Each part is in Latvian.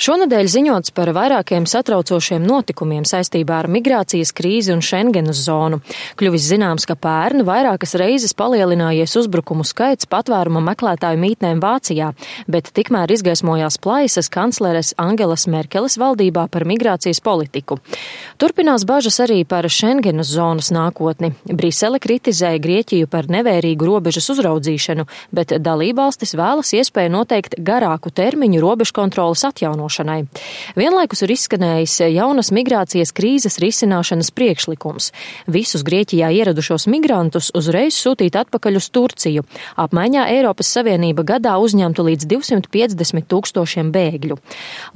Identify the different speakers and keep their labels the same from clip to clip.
Speaker 1: Šonedēļ ziņots par vairākiem satraucošiem notikumiem saistībā ar migrācijas krīzi un Schengenas zonu. Kļuvis zināms, ka pērn vairākas reizes palielinājies uzbrukumu skaits patvēruma meklētāju mītnēm Vācijā, bet tikmēr izgaismojās plaisas kancleres Angelas Merkeles valdībā par migrācijas politiku. Turpinās bažas arī par Schengenas zonas nākotni. Brisele kritizēja Grieķiju par nevērīgu robežas uzraudzīšanu, bet dalībvalstis vēlas iespēju noteikt garāku termiņu robežkontroles atjaunošanai. Vienlaikus ir izskanējis jaunas migrācijas krīzes risināšanas priekšlikums. Visus Grieķijā ieradušos migrantus uzreiz sūtīt atpakaļ uz Turciju. Apmaiņā Eiropas Savienība gadā uzņemtu līdz 250 000 bēgļu.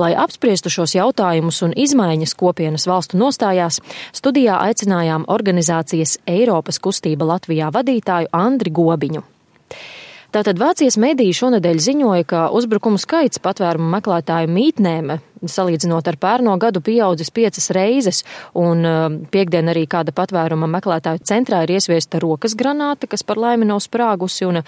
Speaker 1: Lai apspriestu šos jautājumus un izmaiņas kopienas valstu nostājās, studijā aicinājām organizācijas Eiropas kustība Latvijā vadītāju Andri Gobiņu. Tātad Vācijas mediji šonedēļ ziņoja, ka uzbrukumu skaits patvērumu meklētāju mītnēm, salīdzinot ar pērno gadu, pieaudzis 5 reizes, un piektdien arī kāda patvēruma meklētāju centrā ir iesviesta rokas granāta, kas par laimi nav sprāgusi, un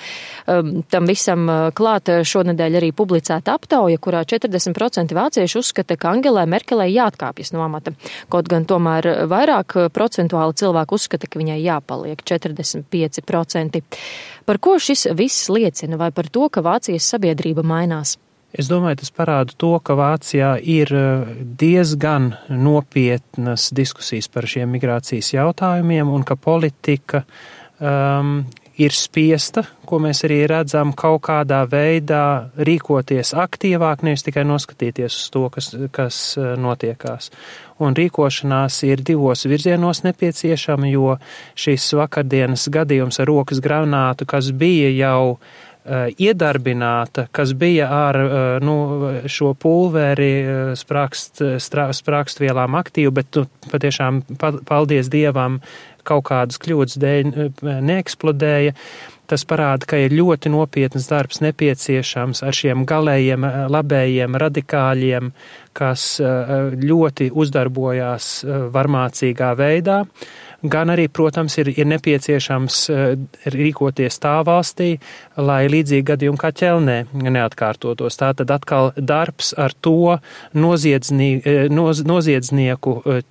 Speaker 1: tam visam klāt šonedēļ arī publicēta aptauja, kurā 40% vācieši uzskata, ka Angelai Merkelei jāatkāpjas no amata. Kaut gan tomēr vairāk procentuāli cilvēku uzskata, ka viņai jāpaliek 45%. Par ko šis viss liecina, vai par to, ka Vācijas sabiedrība mainās?
Speaker 2: Es domāju, tas parāda to, ka Vācijā ir diezgan nopietnas diskusijas par šiem migrācijas jautājumiem un ka politika ir spiesta, ko mēs arī redzam, kaut kādā veidā rīkoties aktīvāk, nevis tikai noskatīties uz to, kas notiekās. Un rīkošanās ir 2 virzienos nepieciešama, jo šis vakardienas gadījums ar rokas granātu, kas bija jau iedarbināta, kas bija ar šo pulveri sprākstvielām aktīvu, bet patiešām paldies Dievam kaut kādas kļūdas dēļ neeksplodēja. Tas parāda, ka ir ļoti nopietnas darbs nepieciešams ar šiem galējiem, labējiem radikāļiem, kas ļoti uzdarbojās varmācīgā veidā. Gan arī, protams, ir nepieciešams rīkoties tā valstī, lai līdzīgi gadījumi kā Ķelnē neatkārtotos. Tātad atkal darbs ar to noziedznieku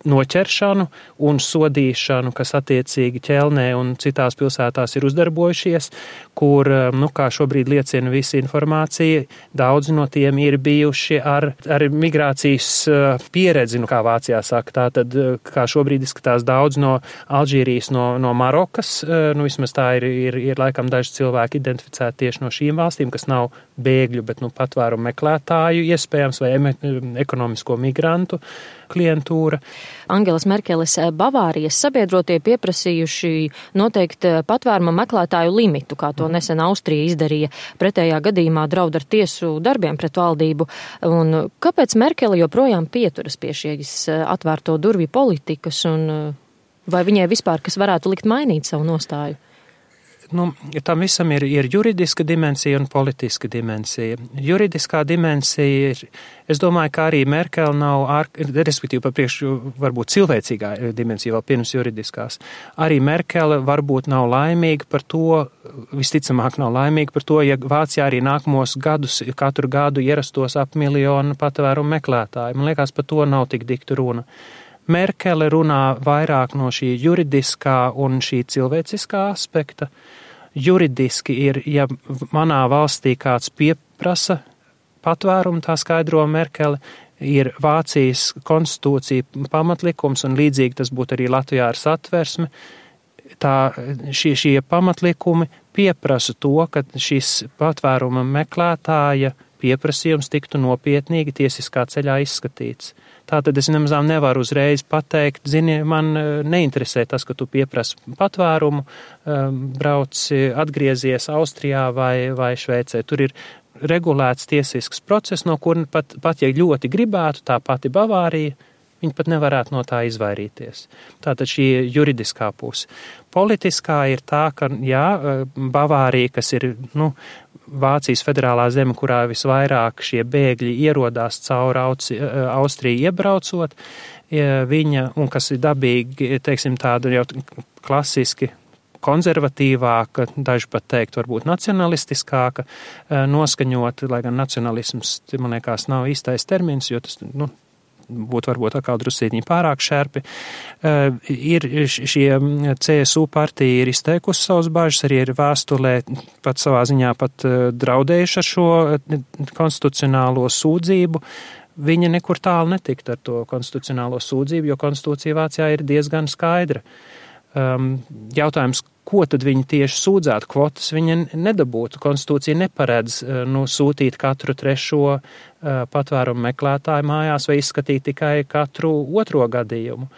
Speaker 2: noķeršanu un sodīšanu, kas attiecīgi Ķelnē un citās pilsētās ir uzdarbojušies, kur, kā šobrīd liecina visa informācija, daudzi no tiem ir bijuši ar migrācijas pieredzi, kā Vācijā saka. Tātad, kā šobrīd izskatās daudz no Alžīrijas, no Marokas, vismaz tā ir laikam daži cilvēki identificēti tieši no šīm valstīm, kas nav bēgļu, bet patvērumu meklētāju iespējams vai ekonomisko migrantu klientūra.
Speaker 1: Angelas Merkeles Bavārijas sabiedrotie pieprasījuši noteikt patvēruma meklētāju limitu, kā to nesen Austrija izdarīja. Pretējā gadījumā draud ar tiesu darbiem pret valdību. Un kāpēc Merkele joprojām pieturas pie šīs atvērto durvju politikas, un vai viņai vispār kas varētu likt mainīt savu nostāju?
Speaker 2: Tam visam ir juridiska dimensija un politiska dimensija. Juridiskā dimensija ir, es domāju, ka arī Merkele nav, respektīvi par priekšu varbūt cilvēcīgā dimensija vēl pirms juridiskās. Arī Merkele varbūt nav laimīga par to, visticamāk nav laimīga par to, ja Vācijā arī nākamos gadus, katru gadu ierastos ap 1 miljonu patvērumu meklētāju. Man liekas, par to nav tik dikta runa. Merkele runā vairāk no šī juridiskā un šī cilvēciskā aspekta. Juridiski ir, ja manā valstī kāds pieprasa patvērumu, tā skaidro Merkele, ir Vācijas konstitūcija pamatlikums, un līdzīgi tas būtu arī Latvijā ar satversmi. Šie pamatlikumi pieprasa to, ka šis patvēruma meklētāja pieprasījums tiktu nopietnīgi tiesiskā ceļā izskatīts. Tātad es nemazām nevaru uzreiz pateikt, zini, man neinteresē tas, ka tu pieprasi patvērumu, brauci, atgriezies Austrijā vai Šveicē. Tur ir regulēts tiesisks process, no kur pat ja ļoti gribētu, tā pati Bavārija, viņi pat nevarētu no tā izvairīties. Tātad šī juridiskā puse. Politiskā ir tā, ka, Bavārija, kas ir, Vācijas federālā zeme, kurā visvairāk šie bēgļi ierodās caur Austriju iebraucot, viņa, un kas ir dabīgi, teiksim, tādu jau klasiski konservatīvāka, daži pat teikt, varbūt nacionalistiskāka noskaņota, lai gan nacionalisms, man liekas, nav īstais termins, jo tas, būtu varbūt atkal drusītiņi pārāk šerpi. Ir šie CSU partija ir izteikusi savus bažas, arī ir vēstulē pat savā ziņā pat draudējuši ar šo konstitucionālo sūdzību. Viņa nekur tālu netikt ar to konstitucionālo sūdzību, jo konstitūcija Vācijā ir diezgan skaidra. Jautājums, ko tad viņi tieši sūdzētu? Kvotas viņa nedabūtu. Konstitūcija neparedz sūtīt katru trešo patvērumu meklētāju mājās vai izskatīt tikai katru otro gadījumu.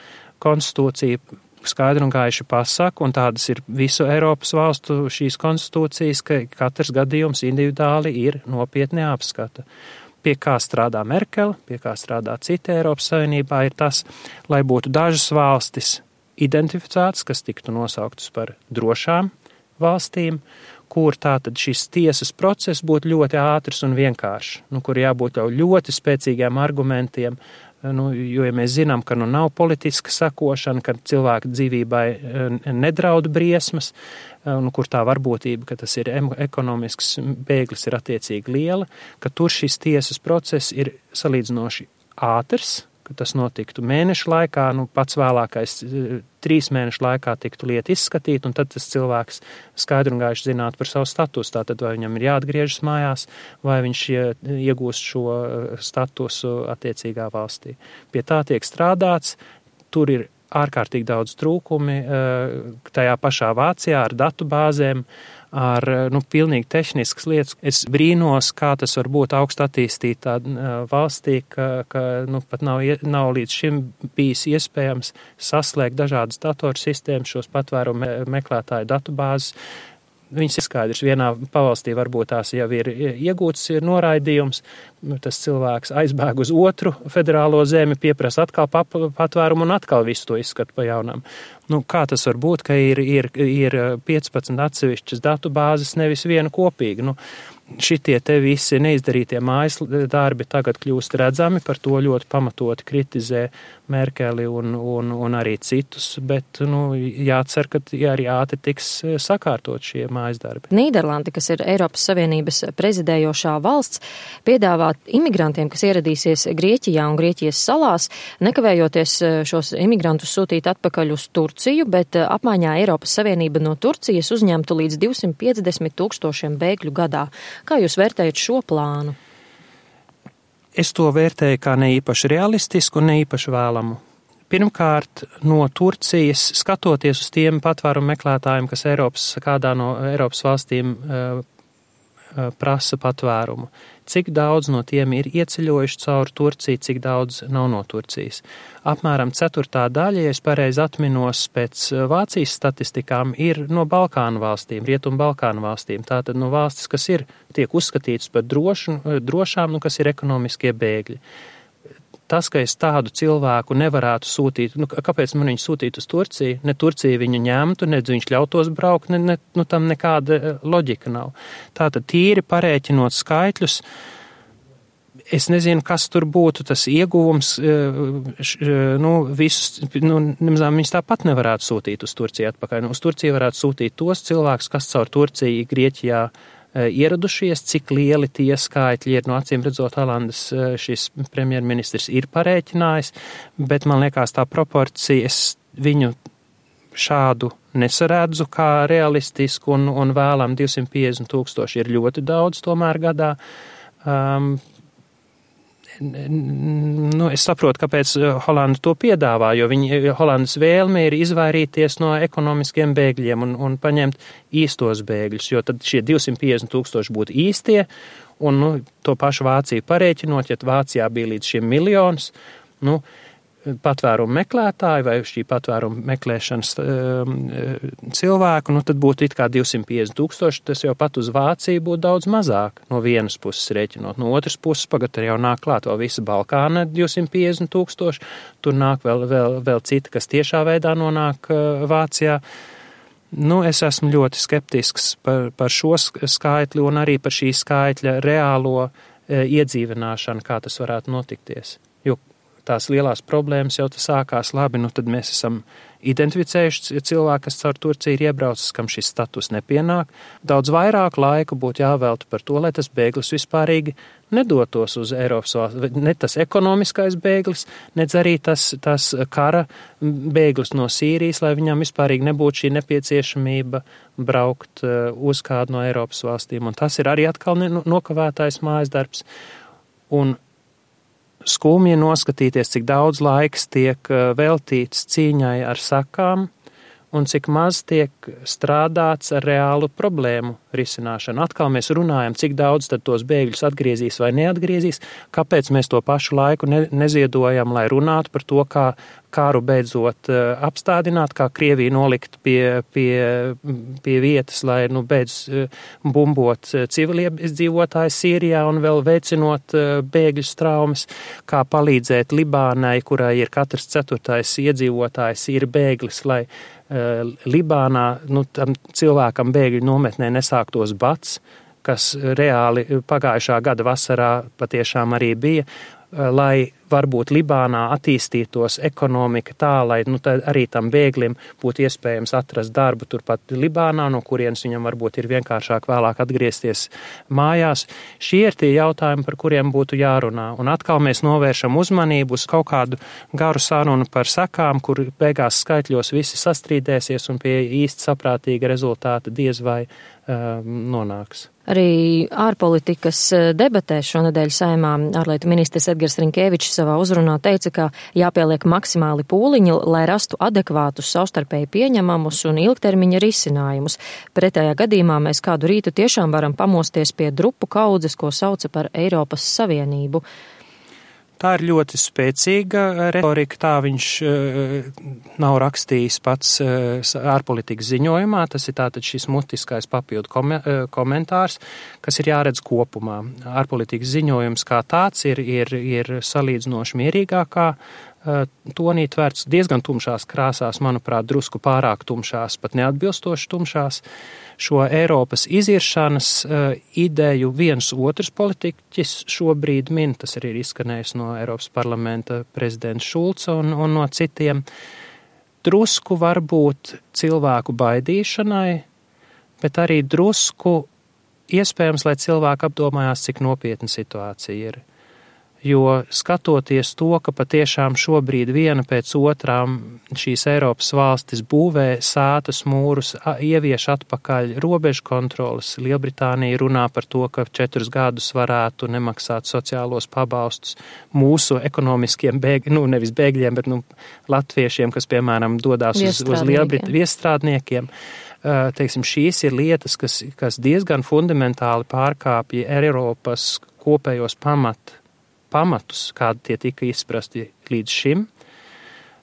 Speaker 2: Konstitūcija skaidri un gaiši pasaka, un tādas ir visu Eiropas valstu šīs konstitūcijas, ka katrs gadījums individuāli ir nopietni jāapskata. Pie kā strādā Merkele, pie kā strādā citi Eiropas Savienībā, ir tas, lai būtu dažas valstis identificētas, kas tiktu nosauktas par drošām valstīm, kur tātad šis tiesas process būtu ļoti ātrs un vienkāršs, kur jābūt jau ļoti spēcīgiem argumentiem, jo, ja mēs zinām, ka nav politiska sakošana, ka cilvēka dzīvībai nedraud briesmas, kur tā varbūtība, ka tas ir ekonomisks bēglis ir attiecīgi liela, ka tur šis tiesas process ir salīdzinoši ātrs, ka tas notiktu mēnešu laikā, pats vēlākais 3 mēnešu laikā tiktu lieta izskatīt, un tad tas cilvēks skaidri un gaiši zinātu par savu statusu, tātad vai viņam ir jāatgriežas mājās, vai viņš iegūst šo statusu attiecīgā valstī. Pie tā tiek strādāts, tur ir ārkārtīgi daudz trūkumi, tajā pašā Vācijā ar datu bāzēm, ar pilnīgi tehniskas lietas. Es brīnos, kā tas var būt augst attīstītā valstī, ka pat nav līdz šim bijis iespējams saslēgt dažādas datorsistēmas, šos patvērumu meklētāju datubāzes. Viņas ir skaidrs, vienā pavalstī varbūt tās jau ir iegūts noraidījums, tas cilvēks aizbēg uz otru federālo zemi, pieprasa atkal patvērumu un atkal visu to izskatu pa jaunām. Kā tas var būt, ka ir 15 atsevišķas datu bāzes, nevis viena kopīga? Šitie te visi neizdarītie mājas darbi tagad kļūst redzami, par to ļoti pamatoti kritizē Merkeli un arī citus, bet jācer, ka arī ātri tiks sakārtot šie mājas darbi.
Speaker 1: Nīderlandi, kas ir Eiropas Savienības prezidējošā valsts, piedāvā imigrantiem, kas ieradīsies Grieķijā un Grieķijas salās, nekavējoties šos imigrantus sūtīt atpakaļ uz Turciju, bet apmaiņā Eiropas Savienība no Turcijas uzņemtu līdz 250,000 bēgļu gadā. Kā jūs vērtējat šo plānu?
Speaker 2: Es to vērtēju kā neīpaši realistisku un neīpaši vēlamu. Pirmkārt, no Turcijas, skatoties uz tiem patvērumu meklētājiem, kas kādā no Eiropas valstīm prasa patvērumu, cik daudz no tiem ir ieceļojuši cauri Turciju, cik daudz nav no Turcijas. Apmēram 4. daļa, ja es pareizi atminos pēc Vācijas statistikām, ir no Balkānu valstīm, Rietumu Balkānu valstīm. Tātad no valstis, kas tiek uzskatītas par drošām, kas ir ekonomiskie bēgļi. Tas, ka es tādu cilvēku nevarētu sūtīt, kāpēc man viņu sūtīt uz Turciju? Ne Turcija viņu ņemtu, ne viņš ļautos braukt, tam nekāda loģika nav. Tātad tīri parēķinot skaitļus, es nezinu, kas tur būtu tas ieguvums, viņus tāpat nevarētu sūtīt uz Turciju atpakaļ. Uz Turciju varētu sūtīt tos cilvēkus, kas caur Turciju Grieķijā ieradušies, cik lieli tie skaitļi ir. Acīm redzot, Holandas šis premjerministrs ir parēķinājis, bet man liekas tā proporcija, es viņu šādu nesaredzu kā realistisku un vēlam 250,000 ir ļoti daudz tomēr gadā. Es saprotu, kāpēc Holanda to piedāvā, jo Holandas vēlme ir izvairīties no ekonomiskiem bēgļiem un paņemt īstos bēgļus, jo tad šie 250,000 būtu īstie, un to pašu Vāciju parēķinot, ja Vācijā bija līdz šiem miljonus, patvērumu meklētāji vai šī patvērumu meklēšanas cilvēku, tad būtu it kā 250,000, tas jau pat uz Vāciju būtu daudz mazāk no vienas puses rēķinot. No otras puses pagad jau nāk klāt vēl visa Balkāna 250,000, tur nāk vēl citi, kas tiešā veidā nonāk Vācijā. Es esmu ļoti skeptisks par šo skaitli un arī par šī skaitļa reālo iedzīvināšanu, kā tas varētu notikties. Jo tās lielās problēmas jau sākās labi, nu tad mēs esam identificējuši cilvēku, kas caur Turciju ir iebraucis, kam šis status nepienāk. Daudz vairāk laika būtu jāvelta par to, lai tas bēglis vispārīgi nedotos uz Eiropas valsts. Ne tas ekonomiskais bēglis, nedz arī tas kara bēglis no Sīrijas, lai viņam vispārīgi nebūtu šī nepieciešamība braukt uz kādu no Eiropas valstīm. Un tas ir arī atkal nokavētais mājas darbs. Un skumji noskatīties, cik daudz laiks tiek veltīts cīņai ar sakām un cik maz tiek strādāts ar reālu problēmu risināšanu. Atkal mēs runājam, cik daudz tad tos bēgļus atgriezīs vai neatgriezīs, kāpēc mēs to pašu laiku neziedojam, lai runātu par to, kā kāru beidzot apstādināt, kā Krieviju nolikt pie vietas, lai beidz bumbot civiliedzīvotājus Sīrijā un vēl veicinot bēgļu traumas, kā palīdzēt Libānai, kurai ir katrs 4. iedzīvotājs ir bēglis, lai Libānā tam cilvēkam bēgļu nometnē nesāktos bats, kas reāli pagājušā gada vasarā patiešām arī bija, lai varbūt Libānā attīstītos ekonomika tā, lai arī tam bēglim būtu iespējams atrast darbu turpat Libānā, no kurienes viņam varbūt ir vienkāršāk vēlāk atgriezties mājās. Šie ir tie jautājumi, par kuriem būtu jārunā. Un atkal mēs novēršam uzmanību uz kaut kādu garu sarunu par sekām, kur beigās skaitļos visi sastrīdēsies un pie īsti saprātīga rezultāta diez vai nonāks.
Speaker 1: Arī ārpolitikas debatēs šonedēļ Saeimā ārlietu ministrs Edgars Rinkēvičs savā uzrunā teica, ka jāpieliek maksimāli pūliņi, lai rastu adekvātus, savstarpēji pieņemamus un ilgtermiņa risinājumus. Pretējā gadījumā mēs kādu rītu tiešām varam pamosties pie drupu kaudzes, ko sauca par Eiropas Savienību.
Speaker 2: Tā ir ļoti spēcīga retorika, tā viņš nav rakstījis pats ārpolitikas ziņojumā, tas ir tātad šis mutiskais papildu komentārs, kas ir jāredz kopumā. Ārpolitikas ziņojums kā tāds ir salīdzinoši mierīgākā tonī tvērts diezgan tumšās krāsās, manuprāt, drusku pārāk tumšās, pat neatbilstoši tumšās. Šo Eiropas iziršanas ideju viens otrs politiķis šobrīd min, tas arī ir izskanējis no Eiropas parlamenta prezidenta Šulca un no citiem, drusku varbūt cilvēku baidīšanai, bet arī drusku iespējams, lai cilvēki apdomājās, cik nopietna situācija ir. Jo skatoties to, ka patiešām šobrīd viena pēc otrām šīs Eiropas valstis būvē sātas mūrus, ievieš atpakaļ robežu kontrolas, Lielbritānija runā par to, ka 4 gadus varētu nemaksāt sociālos pabalstus mūsu ekonomiskiem bēgļiem, nevis bēgļiem, bet latviešiem, kas, piemēram, dodās uz viestrādniekiem. Teiksim, šīs ir lietas, kas diezgan fundamentāli pārkāpja Eiropas kopējos pamatus, kādi tie tika izprasti līdz šim.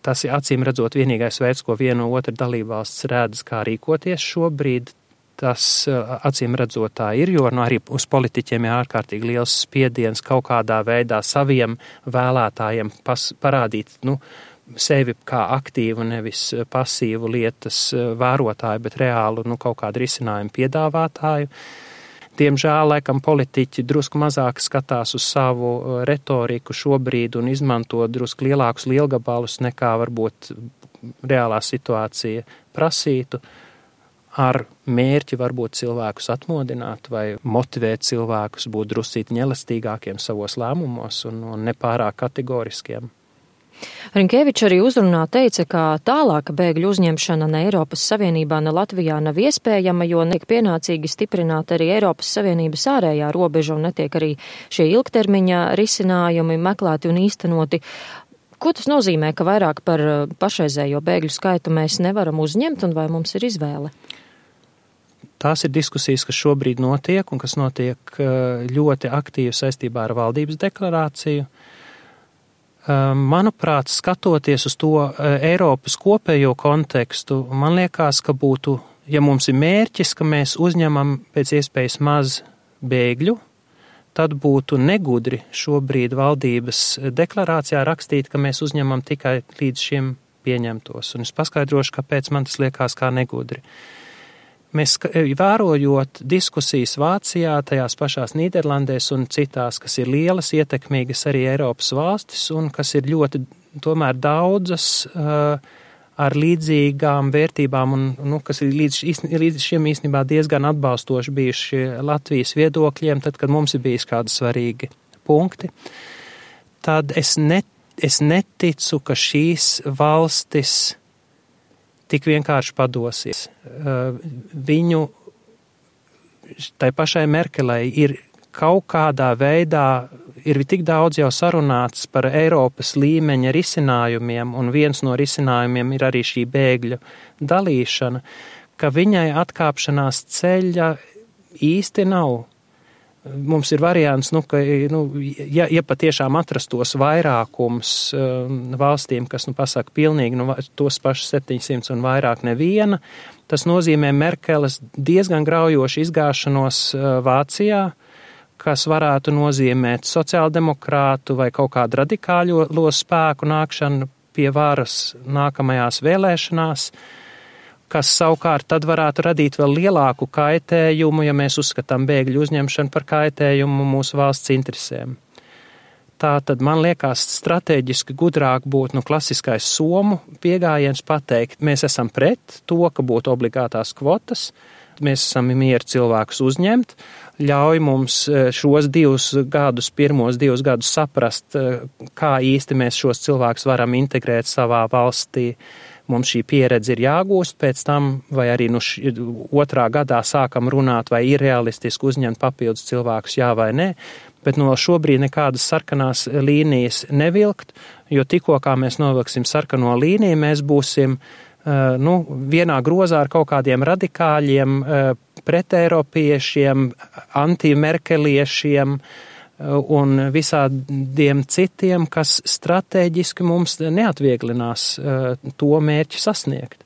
Speaker 2: Tas ir acīm redzot vienīgais veids, ko viena otra dalībvalsts redz, kā rīkoties šobrīd. Tas acīm redzot tā ir, jo arī uz politiķiem ir ārkārtīgi liels spiediens kaut kādā veidā saviem vēlētājiem parādīt, sevi kā aktīvu, nevis pasīvu lietas vērotāju, bet reālu, kaut kādu risinājumu piedāvātāju. Diemžēl, laikam, politiķi drusku mazāk skatās uz savu retoriku šobrīd un izmanto drusku lielākus lielgabalus nekā varbūt reālā situācija prasītu, ar mērķi varbūt cilvēkus atmodināt vai motivēt cilvēkus būt druscīt elastīgākiem savos lēmumos un nepārāk kategoriskiem.
Speaker 1: Rinkēvičs arī uzrunā teica, ka tālāka bēgļu uzņemšana ne Eiropas Savienībā, ne Latvijā nav iespējama, jo netiek pienācīgi stiprināt arī Eiropas Savienības ārējā robeža un netiek arī šie ilgtermiņa risinājumi meklēti un īstenoti. Ko tas nozīmē, ka vairāk par pašreizējo bēgļu skaitu mēs nevaram uzņemt un vai mums ir izvēle?
Speaker 2: Tās ir diskusijas, kas šobrīd notiek un kas notiek ļoti aktīvi saistībā ar valdības deklarāciju. Manuprāt, skatoties uz to Eiropas kopējo kontekstu, man liekas, ka būtu, ja mums ir mērķis, ka mēs uzņemam pēc iespējas maz bēgļu, tad būtu negudri šobrīd valdības deklarācijā rakstīt, ka mēs uzņemam tikai līdz šim pieņemtos. Un es paskaidrošu, kāpēc man tas liekas kā negudri. Mēs vērojot diskusijas Vācijā, tajās pašās Nīderlandēs un citās, kas ir lielas, ietekmīgas arī Eiropas valstis un kas ir ļoti tomēr daudzas ar līdzīgām vērtībām un kas ir līdz šiem īstenībā diezgan atbalstoši bijuši Latvijas viedokļiem, tad, kad mums ir bijis kādi svarīgi punkti, tad es neticu, ka šīs valstis tik vienkārši padosies. Viņu, tai pašai Merkelei ir kaut kādā veidā, ir tik daudz jau sarunāts par Eiropas līmeņa risinājumiem, un viens no risinājumiem ir arī šī bēgļu dalīšana, ka viņai atkāpšanās ceļa īsti nav. Mums ir variants, ja patiešām atrastos vairākums valstīm, kas pasaka pilnīgi tos pašus 700 un vairāk neviena, tas nozīmē Merkeles diezgan graujošu izgāšanos Vācijā, kas varētu nozīmēt sociāldemokrātu vai kaut kādu radikālo spēku nākšanu pie varas nākamajās vēlēšanās, kas savukārt tad varētu radīt vēl lielāku kaitējumu, ja mēs uzskatām bēgļu uzņemšanu par kaitējumu mūsu valsts interesēm. Tā tad man liekas strateģiski gudrāk būtu klasiskais somu pieejams pateikt, mēs esam pret to, ka būtu obligātās kvotas, mēs esam mieri cilvēkus uzņemt, ļauj mums šos pirmos divus gadus saprast, kā īsti mēs šos cilvēkus varam integrēt savā valstī. Mums šī pieredze ir jāgūst, pēc tam, vai arī otrā gadā sākam runāt, vai ir realistiski uzņemt papildus cilvēkus, jā vai nē, bet šobrīd nekādas sarkanās līnijas nevilkt, jo tikko kā mēs novilksim sarkano līniju, mēs būsim vienā grozā ar kaut kādiem radikāļiem, preteiropiešiem, antimerkeliešiem, un visādiem citiem, kas strateģiski mums neatvieglinās to mērķi sasniegt.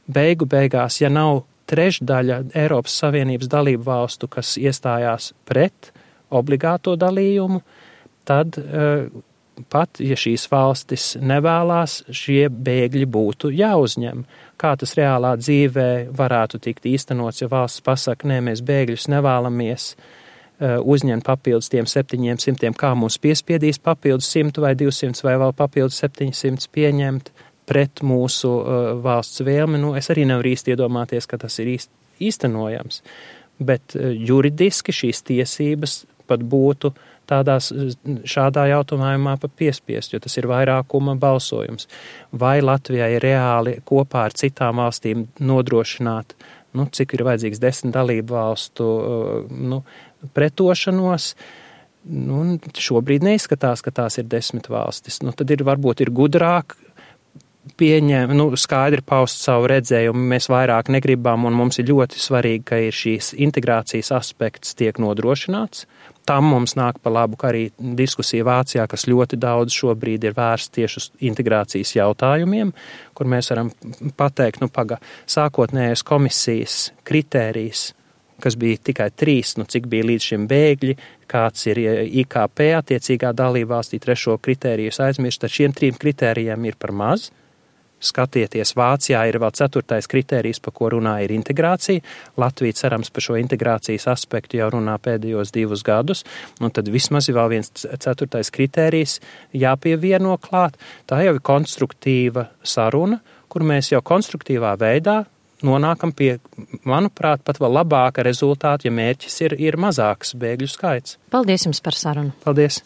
Speaker 2: Beigās, ja nav trešdaļa Eiropas Savienības dalību valstu, kas iestājās pret obligāto dalījumu, tad pat, ja šīs valstis nevēlās, šie bēgļi būtu jāuzņem. Kā tas reālā dzīvē varētu tikt īstenots, ja valsts pasaka, nē, mēs bēgļus nevēlamies uzņemt papildus tiem 700, kā mums piespiedīs papildus 100 vai 200 vai vēl papildus 700 pieņemt pret mūsu valsts vēlmi. Es arī nevaru īsti iedomāties, ka tas ir īstenojams, bet juridiski šīs tiesības pat būtu šādā jautājumā pat piespiest, jo tas ir vairākuma balsojums. Vai Latvijai reāli kopā ar citām valstīm nodrošināt, cik ir vajadzīgs 10 dalību valstu, pretošanos, šobrīd neizskatās, ka tās ir 10 valstis. Tad varbūt ir gudrāk skaidri paust savu redzējumu, mēs vairāk negribam, un mums ir ļoti svarīgi, ka ir šīs integrācijas aspekts tiek nodrošināts. Tam mums nāk pa labu, ka arī diskusija Vācijā, kas ļoti daudz šobrīd ir vērsts tieši uz integrācijas jautājumiem, kur mēs varam pateikt, sākotnējais komisijas kritērijs, kas bija tikai 3, cik bija līdz šim bēgļi, kāds ir IKP attiecīgā dalībvalstī, 3. kritēriju aizmirst, tad šiem 3 kritērijiem ir par maz. Skatieties, Vācijā ir vēl 4. kritērijs, pa ko runā, ir integrācija. Latvija cerams par šo integrācijas aspektu jau runā pēdējos 2 gadus, tad vismaz ir vēl viens 4. kritērijs jāpievieno klāt. Tā jau ir konstruktīva saruna, kur mēs jau konstruktīvā veidā nonākam pie, manuprāt, pat vēl labāka rezultāta, ja mērķis ir mazāks bēgļu skaits.
Speaker 1: Paldies jums par sarunu.
Speaker 2: Paldies.